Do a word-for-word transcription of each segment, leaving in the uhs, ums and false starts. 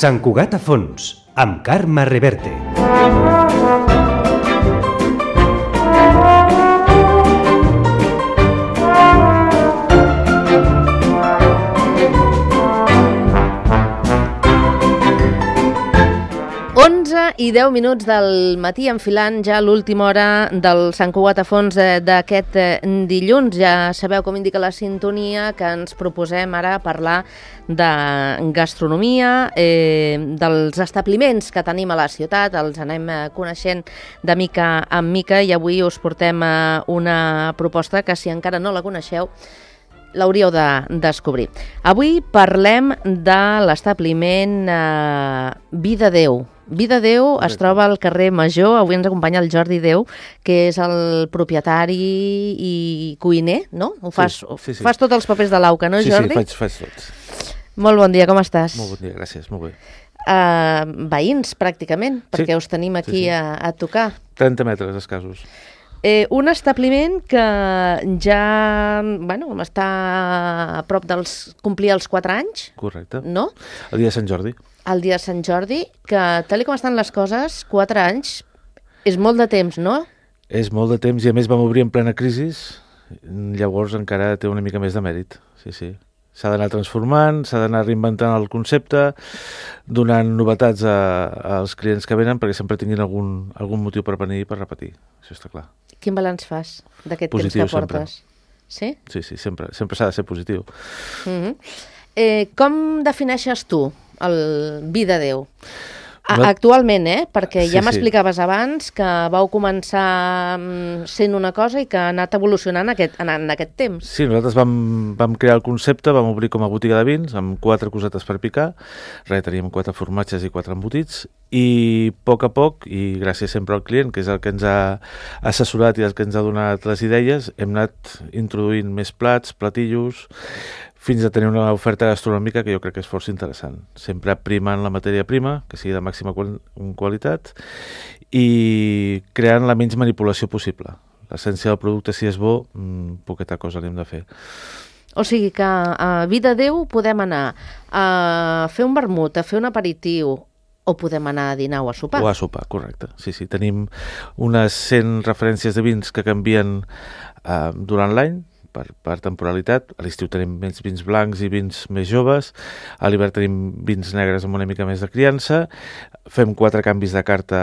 Sant Cugat a fons, amb Carme Reverte. onze i deu minuts del matí, enfilant ja l'última hora del Sant Cugat a fons d'aquest dilluns. Ja sabeu, com indica la sintonia, que ens proposem ara parlar de gastronomia, eh, dels establiments que tenim a la ciutat, els anem coneixent de mica en mica, i avui us portem una proposta que, si encara no la coneixeu, l'hauríeu de descobrir. Avui parlem de l'establiment eh, Vida Déu. Vida Déu es troba al carrer Major. Avui ens acompanya el Jordi Déu, que és el propietari i cuiner, no? Ho fas, sí, sí, sí. fas tots els papers de l'auca, no, sí, Jordi? Sí, faig, faig tots. Molt bon dia, com estàs? Molt bon dia, gràcies, molt bé. Uh, veïns, pràcticament, perquè sí, us tenim aquí sí, sí. A, a tocar. trenta metres escassos. Eh, un establiment que ja bueno, està a prop dels complir els quatre anys. Correcte. No? El dia de Sant Jordi. El dia de Sant Jordi, que tal com estan les coses, quatre anys és molt de temps, no? És molt de temps, i a més vam obrir en plena crisi, llavors encara té una mica més de mèrit. Sí, sí. S'ha d'anar transformant, s'ha d'anar reinventant el concepte, donant novetats a, als clients que venen perquè sempre tinguin algun, algun motiu per venir i per repetir. Això està clar. Quin balanç fas d'aquest temps que portes? Sí? Sí, sí, sempre, sempre s'ha de ser positiu. Mm-hmm. eh, com defineixes tu el Vida Déu? A, no... Actualment, eh? Perquè sí, ja m'explicaves sí. abans que vau començar sent una cosa i que ha anat evolucionant aquest, en, en aquest temps. Sí, nosaltres vam, vam crear el concepte, vam obrir com a botiga de vins, amb quatre cosetes per picar, res, teníem quatre formatges i quatre embotits, i a poc a poc, i gràcies sempre al client, que és el que ens ha assessorat i el que ens ha donat les idees, hem anat introduint més plats, platillos, fins a tenir una oferta gastronòmica que jo crec que és força interessant. Sempre primant la matèria prima, que sigui de màxima qualitat, i creant la menys manipulació possible. L'essència del producte, si és bo, mmm, poqueta cosa n'hem de fer. O sigui que a Vida Déu podem anar a fer un vermut, a fer un aperitiu, o podem anar a dinar o a sopar. O a sopar, correcte. Sí, sí. Tenim unes cent referències de vins que canvien eh, durant l'any, Per, per temporalitat. A l'estiu tenim més vins blancs i vins més joves, a l'hivern tenim vins negres amb una mica més de criança, fem quatre canvis de carta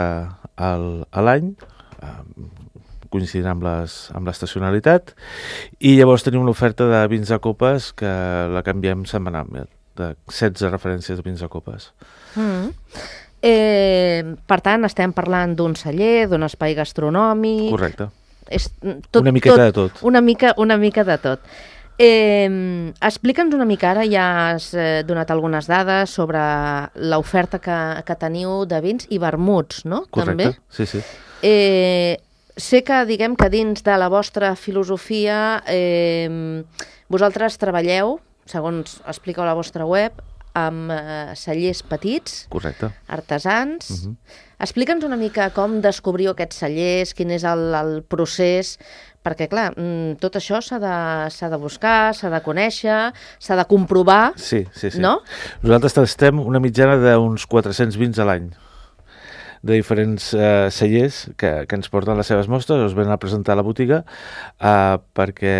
al, a l'any, eh, coincidint amb les, amb l'estacionalitat, i llavors tenim una oferta de vins de copes que la canviem setmanalment, de setze referències de vins de copes. Mm. Eh, per tant, estem parlant d'un celler, d'un espai gastronòmic... Correcte. És tot, una miqueta tot, de tot. Una mica, una mica de tot. Eh, Explica'ns una mica, ara ja has eh, donat algunes dades sobre l'oferta que, que teniu de vins i vermuts, no? Correcte, també? sí, sí. Eh, sé que, diguem que dins de la vostra filosofia eh, vosaltres treballeu, segons expliqueu a la vostra web, amb eh, cellers petits, correcte, artesans. Uh-huh. Explica'ns una mica com descobriu aquests cellers, quin és el, el procés, perquè, clar, tot això s'ha de, s'ha de buscar, s'ha de conèixer, s'ha de comprovar, sí, sí, sí. No? Nosaltres tastem una mitjana d'uns quatre-cents vins a l'any, de diferents eh, cellers que, que ens porten les seves mostres, els venen a presentar a la botiga eh, perquè,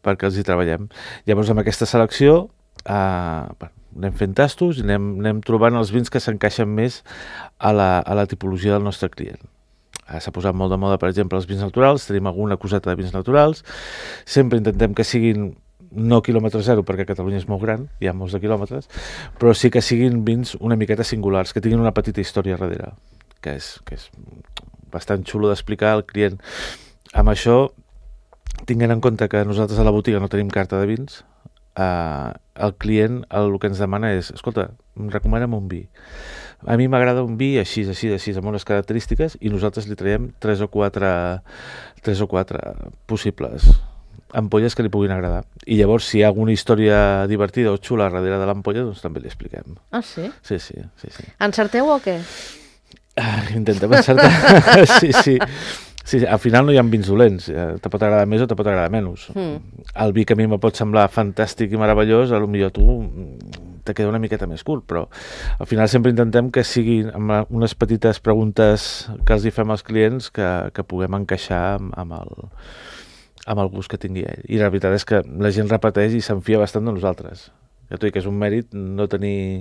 perquè els hi treballem. Llavors, amb aquesta selecció, eh, anem fent tastos i anem, anem trobant els vins que s'encaixen més a la, a la tipologia del nostre client. S'ha posat molt de moda, per exemple, els vins naturals, tenim alguna coseta de vins naturals, sempre intentem que siguin no quilòmetre zero, perquè Catalunya és molt gran, hi ha molts de quilòmetres, però sí que siguin vins una miqueta singulars, que tinguin una petita història darrere, que és, que és bastant xulo d'explicar al client. Amb això, tinguent en compte que nosaltres a la botiga no tenim carta de vins, Uh, el client el que ens demana és, escolta, recomana'm un vi. A mi m'agrada un vi així, així, així, amb unes característiques, i nosaltres li traiem tres o quatre, tres o quatre possibles ampolles que li puguin agradar. I llavors, si hi ha alguna història divertida o xula darrere de l'ampolla, doncs també li expliquem. Ah, sí? Sí, sí, sí, sí. Encerteu o què? Ah, intentem encertar. Sí, sí. Sí, al final no hi ha vins dolents, te pot agradar més o te pot agradar menys. Mm. El vi que a mi me pot semblar fantàstic i meravellós, a lo millor tu te queda una miqueta més curt, però al final sempre intentem que siguin amb unes petites preguntes que els hi fem als clients que, que puguem encaixar amb, amb, el, amb el gust que tingui ell. I la veritat és que la gent repeteix i s'enfia bastant de nosaltres. Ja t'ho dic, és un mèrit no tenir,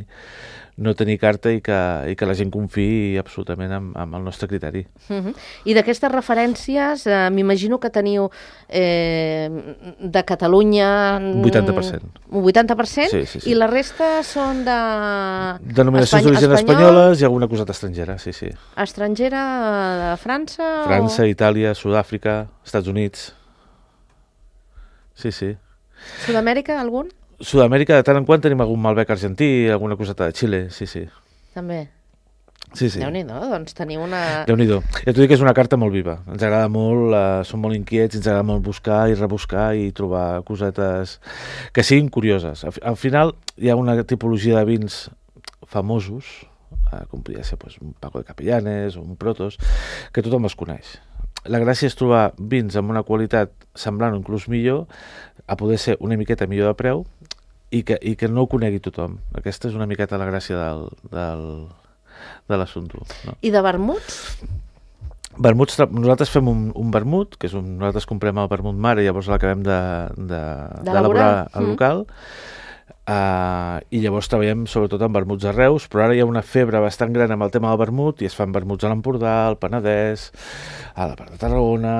no tenir carta i que, i que la gent confiï absolutament amb, amb el nostre criteri. Uh-huh. I d'aquestes referències, eh, m'imagino que teniu eh, de Catalunya... vuitanta per cent. Un vuitanta per cent? Sí, sí, sí. I la resta són de... Denominacions d'origen espanyoles i alguna coseta estrangera, sí, sí. Estrangera de França? França, o... Itàlia, Sud-àfrica, Estats Units. Sí, sí. Sud-amèrica, algun? Sud-amèrica, de tant en quant tenim algun Malbec argentí, alguna coseta de Xile, sí, sí. També? Sí, sí. Déu-n'hi-do, doncs teniu una... Déu-n'hi-do. Ja t'ho dic que és una carta molt viva. Ens agrada molt, eh, som molt inquiets, ens agrada molt buscar i rebuscar i trobar cosetes que siguin curioses. Al, al final hi ha una tipologia de vins famosos, eh, com podria ser pues, un Paco de Capellanes o un Protos, que tothom els coneix. La gràcia és trobar vins amb una qualitat semblant o inclús millor, a poder ser una miqueta millor de preu i que, i que no ho conegui tothom. Aquesta és una miqueta la gràcia del, del, de l'assumpte. No? I de vermuts? Vermuts, nosaltres fem un, un vermut, que és un, nosaltres comprem el vermut mare i llavors l'acabem d'elaborar al local. Mm. Uh, i llavors treballem sobretot amb vermuts a Reus, però ara hi ha una febre bastant gran amb el tema del vermut i es fan vermuts a l'Empordà, al Penedès, a la part de Tarragona.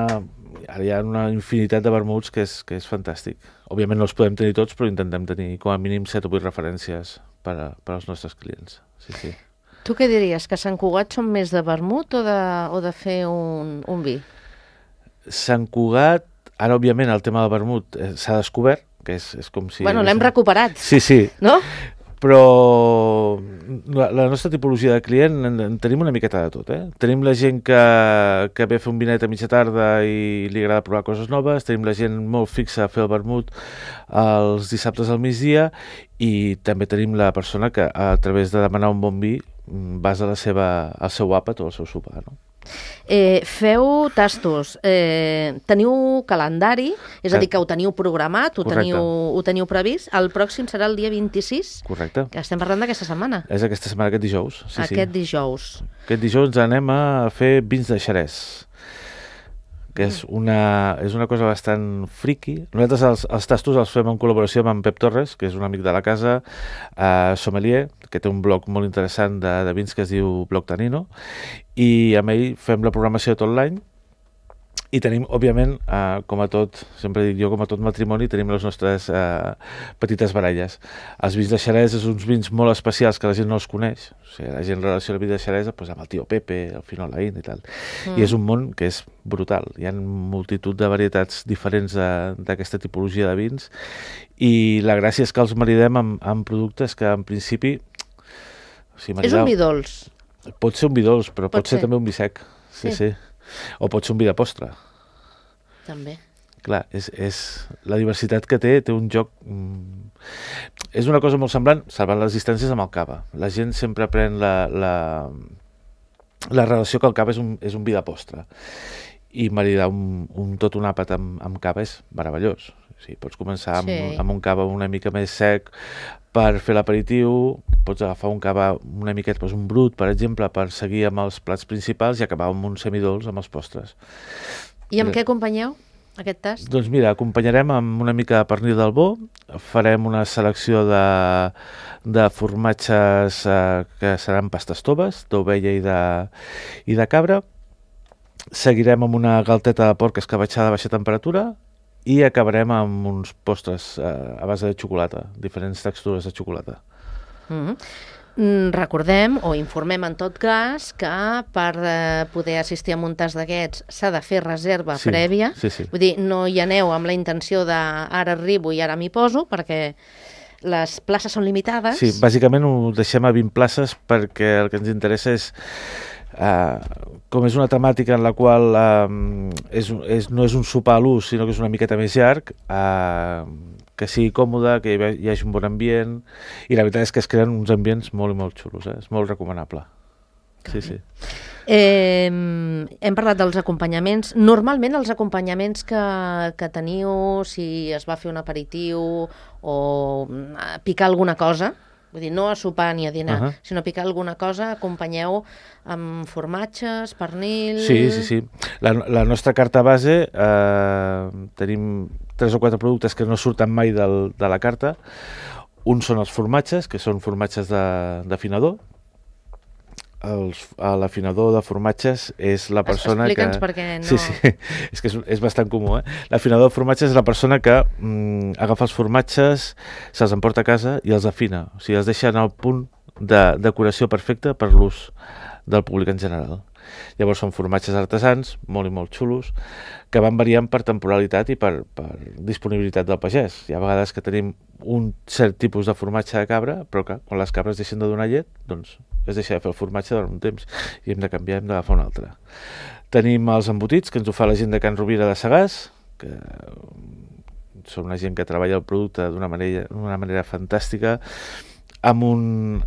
Ara hi ha una infinitat de vermuts que és, que és fantàstic. Òbviament no els podem tenir tots, però intentem tenir com a mínim set o vuit referències per, a, per als nostres clients. Sí, sí. Tu què diries? Que Sant Cugat són més de vermut o de, o de fer un, un vi? Sant Cugat, ara òbviament el tema del vermut eh, s'ha descobert, que és, és com si... Bueno, l'hem recuperat. Sí, sí. No? Però la, la nostra tipologia de client en, en tenim una miqueta de tot, eh? Tenim la gent que, que ve a fer un vinet a mitja tarda i li agrada provar coses noves, tenim la gent molt fixa a fer el vermut els dissabtes al migdia i també tenim la persona que a través de demanar un bon vi basa la seva, el seu àpat o el seu sopar, no? Eh, feu tastos, eh, teniu calendari, és a dir, que ho teniu programat, ho teniu, ho teniu previst. El pròxim serà el dia vint-i-sis. Correcte. Que estem parlant d'aquesta setmana. És aquesta setmana, aquest dijous. Sí, aquest sí. dijous. Aquest dijous anem a fer vins de Xerès, que és una, és una cosa bastant friki. Nosaltres els, els tastos els fem en col·laboració amb en Pep Torres, que és un amic de la casa, eh, sommelier, que té un blog molt interessant de, de vins que es diu Blog Tanino, i amb ell fem la programació tot l'any i tenim, òbviament, eh, com a tot, sempre dic jo, com a tot matrimoni, tenim les nostres eh, petites baralles. Els vins de Xerès és uns vins molt especials que la gent no els coneix. O sigui, la gent relaciona el vi de Xerès pues, amb el tio Pepe, el Finolaín i tal. Mm. I és un món que és brutal. Hi ha multitud de varietats diferents d'aquesta tipologia de vins i la gràcia és que els maridem amb, amb productes que, en principi... O sigui, maridar... És un vi dolç. Pot ser un vi dolç, però pot, pot ser. ser també un vi sec. Sí, sí. sí. O pot ser un vi de postre. També. Clar, és, és la diversitat que té, té un joc... Mm, és una cosa molt semblant, salvant les distàncies, amb el cava. La gent sempre pren la, la, la relació que el cava és un, és un vi de postre. I maridar un, un, tot un àpat amb, amb cava és meravellós. O sigui, pots començar amb, sí. amb un cava una mica més sec per fer l'aperitiu, pots agafar un cava una miqueta, doncs un brut, per exemple, per seguir amb els plats principals i acabar amb un semidols amb els postres. I amb què acompanyeu aquest tast? Doncs mira, acompanyarem amb una mica de pernil d'Albó, farem una selecció de, de formatges eh, que seran pastes toves, d'ovella i de, i de cabra, seguirem amb una galteta de porc escabatxada a baixa temperatura i acabarem amb uns postres eh, a base de xocolata, diferents textures de xocolata. Mm-hmm. Recordem o informem en tot cas que per eh, poder assistir a un tast d'aquests s'ha de fer reserva sí, prèvia. Sí, sí. Vull dir, no hi aneu amb la intenció de ara arribo i ara m'hi poso, perquè les places són limitades. Sí, bàsicament ho deixem a vint places perquè el que ens interessa és Uh, com és una temàtica en la qual uh, és, és, no és un sopar a l'ús, sinó que és una miqueta més llarg, uh, que sigui còmode, que hi, hi hagi un bon ambient, i la veritat és que es creen uns ambients molt i molt xulos, eh? És molt recomanable. sí, sí. Eh, hem parlat dels acompanyaments. Normalment els acompanyaments que, que teniu, si es va fer un aperitiu o picar alguna cosa, vull dir, no a sopar ni a dinar, uh -huh. sinó a picar alguna cosa, acompanyeu amb formatges, pernil... Sí, sí, sí. La, la nostra carta base, eh, tenim tres o quatre productes que no surten mai del, de la carta. Un són els formatges, que són formatges d'afinador. L'afinador de formatges és la persona que... Explica'ns perquè no... Sí, sí, és que és, és bastant comú, eh? L'afinador de formatges és la persona que mm, agafa els formatges, se'ls emporta a casa i els afina. O sigui, els deixa en el punt de decoració perfecte per l'ús del públic en general. Llavors són formatges artesans, molt i molt xulos, que van variant per temporalitat i per, per disponibilitat del pagès. Hi ha vegades que tenim un cert tipus de formatge de cabra, però que quan les cabres deixen de donar llet, doncs es deixa de fer el formatge durant un temps i hem de canviar, hem d'agafar un altre. Tenim els embotits, que ens ho fa la gent de Can Rovira de Sagàs, que són una gent que treballa el producte d'una manera, d'una manera fantàstica, amb un...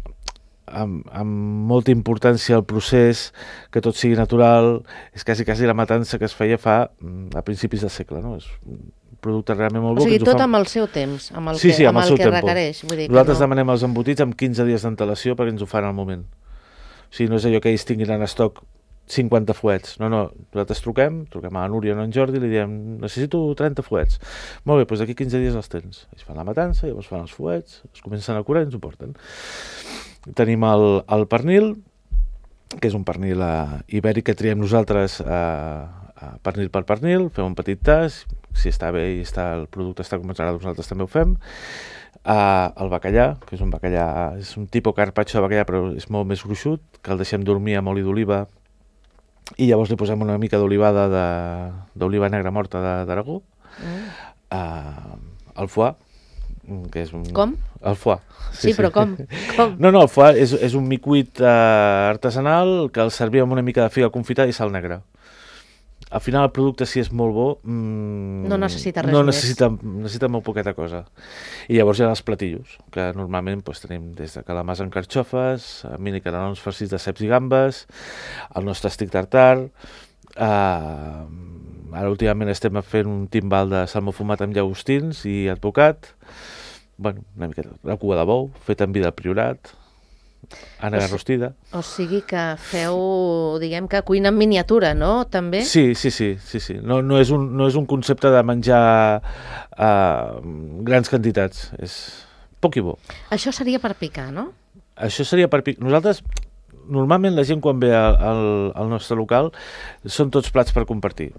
Amb, amb molta importància al procés, que tot sigui natural. És quasi, quasi la matança que es feia fa a principis del segle, no? És un producte realment molt bo. O sigui, tot fa... amb el seu temps, amb el sí, que, sí, amb amb el, el el que requereix. Vull dir Nosaltres que no... demanem els embotits amb quinze dies d'antelació perquè ens ho fan al moment. O sigui, no és allò que ells tinguin en estoc cinquanta fuets. No, no, nosaltres truquem, truquem a la Núria o a en Jordi i li diem, necessito trenta fuets. Molt bé, doncs d'aquí quinze dies els tens. Ells fan la matança, llavors fan els fuets, es comencen a curar i ens ho porten. Tenim el, el pernil, que és un pernil uh, ibèric que triem nosaltres uh, uh, pernil per pernil, fem un petit tast, si està bé i està, el producte està com ens agrada, nosaltres també ho fem. Uh, el bacallà, que és un bacallà, és un tipus carpaccio de bacallà, però és molt més gruixut, que el deixem dormir amb oli d'oliva i llavors li posem una mica d'olivada d'oliva negra morta d'Aragó. Mm. Uh, el foie, que és un... Com? El foie. Sí, sí, però com? com? No, no, el foie és, és un micuit uh, artesanal que el servim amb una mica de figa confitada i sal negra. Al final el producte, si és molt bo, mmm, no necessita res no més. Necessita, necessita molt poqueta cosa. I llavors hi ha els platillos, que normalment pues, tenim des de calamars amb carxofes, mini canelons farcits de ceps i gambes, el nostre estic tartar, uh, ara últimament estem fent un timbal de salmó fumat amb llagostins i advocat, bueno, una miqueta, la cua de bou, feta amb vi del Priorat, ànega rostida. O sigui que feu, diguem que cuina en miniatura, no? També? Sí, sí, sí, sí, sí. No, no, és un, no és un concepte de menjar uh, grans quantitats, és poc i bo. Això seria per picar, no? Això seria per picar. Nosaltres, normalment la gent quan ve al, al, al nostre local són tots plats per compartir.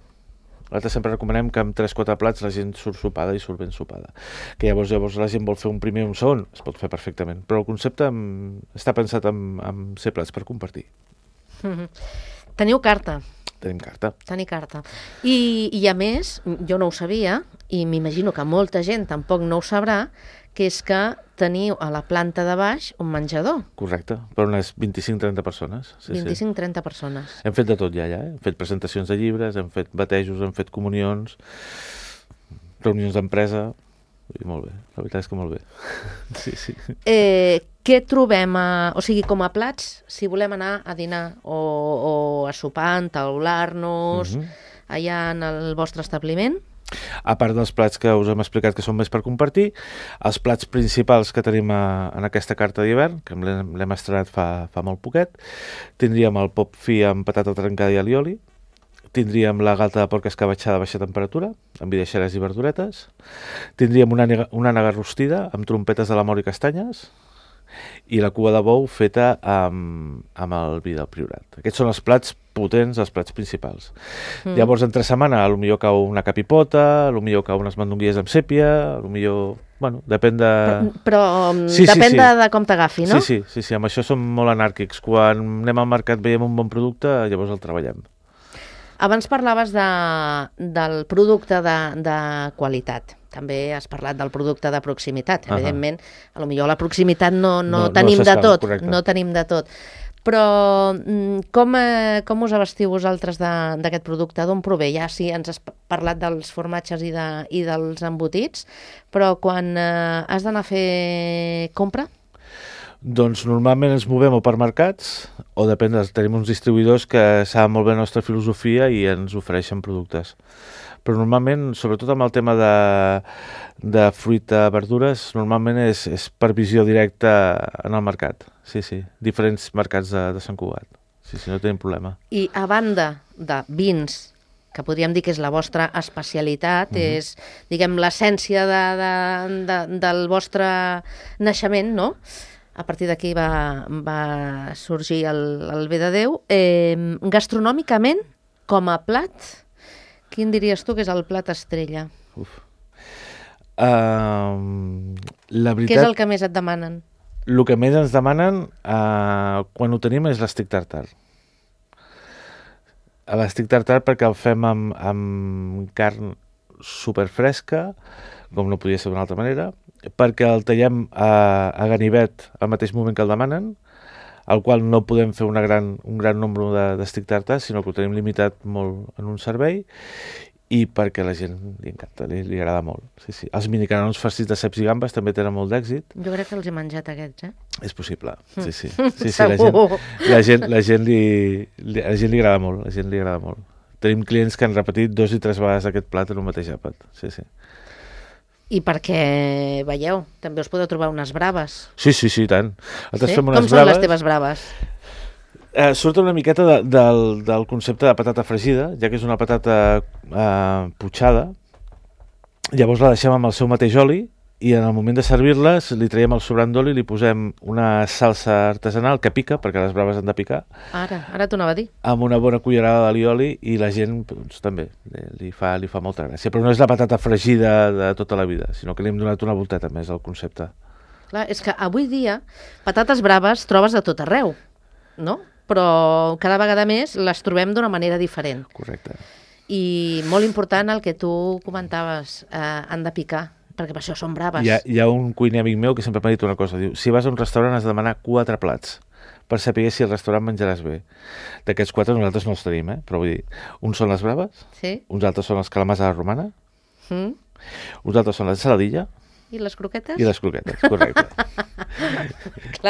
Nosaltres sempre recomanem que amb tres o quatre plats la gent surt sopada i surt ben sopada. Que llavors, llavors la gent vol fer un primer i un segon, es pot fer perfectament. Però el concepte amb, està pensat en, en ser plats per compartir. Mm-hmm. Teniu carta. Tenim carta. Tenir carta. I, I a més, jo no ho sabia, i m'imagino que molta gent tampoc no ho sabrà, que és que teniu a la planta de baix un menjador. Correcte, per unes vint-i-cinc trenta persones. Sí, vint-i-cinc trenta persones. Hem fet de tot ja, ja. Eh? Hem fet presentacions de llibres, hem fet batejos, hem fet comunions, reunions d'empresa, i molt bé, la veritat és que molt bé. Sí, sí. Eh, què trobem, a, o sigui, com a plats, si volem anar a dinar o, o a sopar, entaular-nos, mm-hmm. allà en el vostre establiment? A part dels plats que us hem explicat que són més per compartir, els plats principals que tenim a, en aquesta carta d'hivern, que l'hem estrenat fa, fa molt poquet, tindríem el pop fi amb patata trencada i alioli, tindríem la galta de porc escabatxada a baixa temperatura, amb vi de xerès i verduretes, tindríem una ànega, una ànega rostida amb trompetes de l'amor i castanyes, i la cua de bou feta amb, amb el vi del Priorat. Aquests són els plats potents, els plats principals. Mm. Llavors, entre setmana, potser cau una capipota, potser cau unes mandonguilles amb sèpia, potser... Bueno, depèn de... Però, però sí, depèn sí, sí. De, de com t'agafi, no? Sí, sí, sí, sí, amb això som molt anàrquics. Quan anem al mercat veiem un bon producte, llavors el treballem. Abans parlaves de, del producte de, de qualitat. També has parlat del producte de proximitat. Uh-huh. Evidentment, a lo millor a la proximitat no, no, no tenim no de tot. Correcte. No tenim de tot. Però com, eh, com us abastiu vosaltres d'aquest producte? D'on prové? Ja sí, ens has parlat dels formatges i, de, i dels embotits, però quan eh, has d'anar a fer compra? Doncs normalment ens movem o per mercats o depèn, tenim uns distribuïdors que saben molt bé la nostra filosofia i ens ofereixen productes. Però normalment, sobretot amb el tema de, de fruita, verdures, normalment és, és per visió directa en el mercat. Sí, sí, diferents mercats de, de Sant Cugat. Sí, sí, no tenim problema. I a banda de vins, que podríem dir que és la vostra especialitat, mm-hmm. és, diguem, l'essència de, de, de, del vostre naixement, no? A partir d'aquí va, va sorgir el, el Bé de Déu. Eh, gastronòmicament, com a plat, quin diries tu que és el plat estrella? Uf. Uh, la veritat... Què és el que més et demanen? El que més ens demanen, uh, quan ho tenim, és l'estic tartar. L'estic tartar perquè el fem amb, amb carn superfresca, com no podia ser d'una altra manera, perquè el tallem a, a ganivet al mateix moment que el demanen, al qual no podem fer una gran, un gran nombre d'estic tartar, sinó que ho tenim limitat molt en un servei, i perquè a la gent li encanta, li, li agrada molt. Sí, sí. Els minicanons farcits de ceps i gambes també tenen molt d'èxit. Jo crec que els he menjat aquests, eh? És possible, sí, sí. sí, sí la, gent, la, gent, la, gent li, li, la gent li agrada molt, la gent li agrada molt. Tenim clients que han repetit dos i tres vegades aquest plat en un mateix àpat, sí, sí. I perquè, veieu, també us podeu trobar unes braves. Sí, sí, sí, tant. Sí? Com braves, són les teves braves? Eh, surt una miqueta de, del, del concepte de patata fregida, ja que és una patata eh, putxada. Llavors la deixem amb el seu mateix oli i en el moment de servir-les li traiem el sobrant d'oli i li posem una salsa artesanal que pica, perquè les braves han de picar. Ara, ara t'ho anava a dir. Amb una bona cullerada d'alioli i la gent doncs, també li fa, li fa molta gràcia. Però no és la patata fregida de tota la vida, sinó que li hem donat una volteta més al concepte. Clar, és que avui dia patates braves trobes a tot arreu, no? Però cada vegada més les trobem d'una manera diferent. Correcte. I molt important el que tu comentaves, eh, han de picar, perquè per això són braves. Hi ha, hi ha un cuiner amic meu que sempre m'ha dit una cosa, diu, si vas a un restaurant has de demanar quatre plats per saber si al restaurant menjaràs bé. D'aquests quatre nosaltres no els tenim, eh? Però vull dir, uns són les braves, sí. Uns altres són els calamars a la romana, mm. uns altres són la saladilla, i les croquetes? I les croquetes, correcte.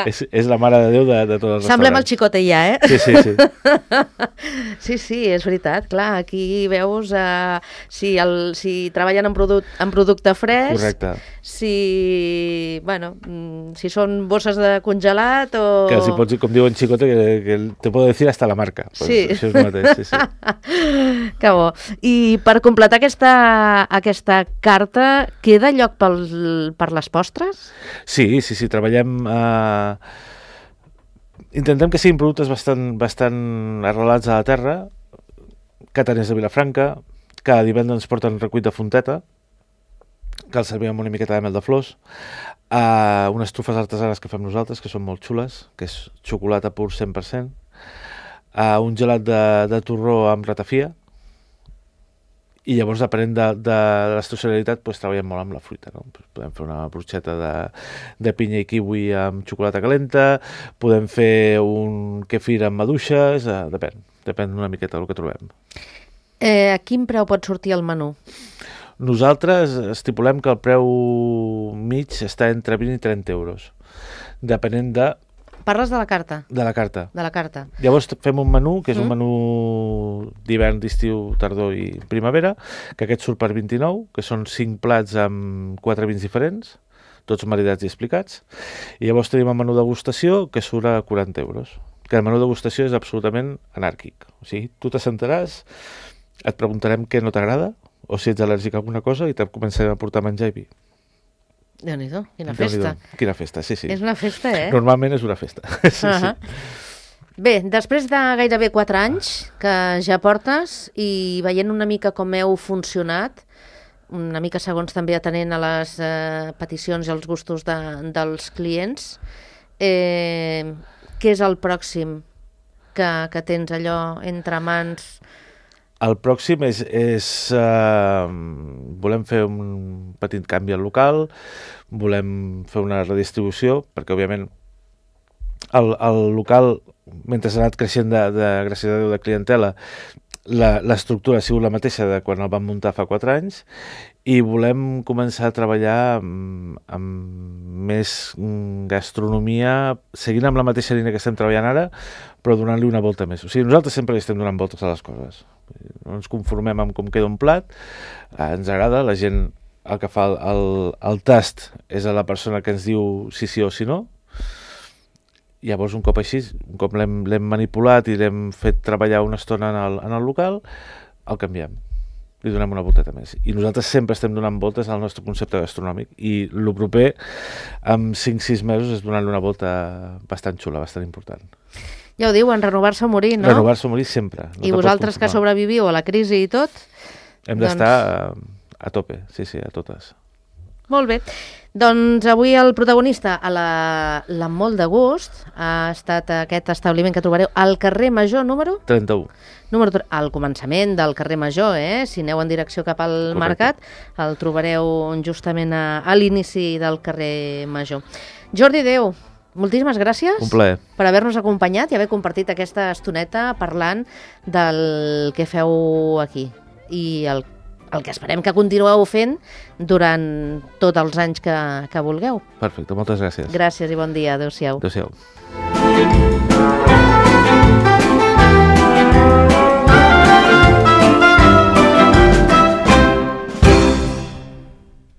és, és la mare de Déu de, de tots els Semblem restaurants. el Xicote ja, eh? Sí, sí, sí. sí, sí, és veritat, clar, aquí veus uh, si, el, si treballen en, produc en producte fresc, correcte. Si, bueno, si són bosses de congelat o... Que els hi pots dir, com diu en Xicote, que, que te puedo decir hasta la marca. Pues sí. Això és el mateix, sí, sí. Que bo. I per completar aquesta, aquesta carta, queda lloc pel per les postres? Sí, sí, sí, treballem... Eh... Intentem que siguin productes bastant, bastant arrelats a la terra, cataners de Vilafranca, cada divendres ens porten recuit de fonteta, que els servim amb una miqueta de mel de flors, eh, unes trufes artesanes que fem nosaltres, que són molt xules, que és xocolata pur cent per cent, eh, un gelat de, de torró amb ratafia, i llavors, depenent de, de, de l'estacionalitat, doncs, treballem molt amb la fruita. No? Podem fer una brocheta de, de pinya i kiwi amb xocolata calenta, podem fer un kefir amb maduixes, eh, depèn, depèn una miqueta del que trobem. Eh, a quin preu pot sortir el menú? Nosaltres estipulem que el preu mig està entre vint i trenta euros, depenent de... Parles de la carta? De la carta. De la carta. Llavors fem un menú, que és mm. un menú d'hivern, d'estiu, tardor i primavera, que aquest surt per vint-i-nou, que són cinc plats amb quatre vins diferents, tots maridats i explicats. I llavors tenim el menú degustació, que surt a quaranta euros. Que el menú degustació és absolutament anàrquic. O sigui, tu t'assentaràs, et preguntarem què no t'agrada, o si ets al·lèrgic a alguna cosa, i te començarem a portar menjar i vi. Déu-n'hi-do, quina festa. Quina festa, sí, sí. És una festa, eh? Normalment és una festa. sí, uh -huh. sí. Bé, després de gairebé quatre anys que ja portes i veient una mica com heu funcionat, una mica segons també atenent a les eh, peticions i als gustos de, dels clients, eh, què és el pròxim que, que tens allò entre mans? El pròxim és, és uh, volem fer un petit canvi al local, volem fer una redistribució, perquè òbviament el, el local, mentre s'ha anat creixent de, de, gràcies a Déu, de clientela, l'estructura ha sigut la mateixa de quan el vam muntar fa quatre anys i volem començar a treballar amb, amb més gastronomia, seguint amb la mateixa línia que estem treballant ara, però donant-li una volta més. O sigui, nosaltres sempre li estem donant voltes a les coses. No ens conformem amb com queda un plat, eh, ens agrada, la gent el que fa el, el, el tast és a la persona que ens diu sí sí o sí no. Llavors, un cop així, un cop l'hem manipulat i l'hem fet treballar una estona en el, en el local, el canviem. Li donem una volteta més. I nosaltres sempre estem donant voltes al nostre concepte gastronòmic. I el proper, en cinc sis mesos, és donar-li una volta bastant xula, bastant important. Ja ho diuen, renovar-se o morir, no? Renovar-se o morir sempre. No. I vosaltres que sobreviviu a la crisi i tot? Hem d'estar doncs... a, a tope, sí, sí, a totes. Molt bé. Doncs avui el protagonista a la, la molt de gust ha estat aquest establiment que trobareu al carrer Major número? trenta-u. Número al començament del carrer Major, eh? Si aneu en direcció cap al Correcte. Mercat, el trobareu justament a, a l'inici del carrer Major. Jordi Déu, moltíssimes gràcies. Un plaer. Per haver-nos acompanyat i haver compartit aquesta estoneta parlant del que feu aquí i el el que esperem que continueu fent durant tots els anys que, que vulgueu. Perfecte, moltes gràcies. Gràcies i bon dia. Adéu-siau. Adéu-siau.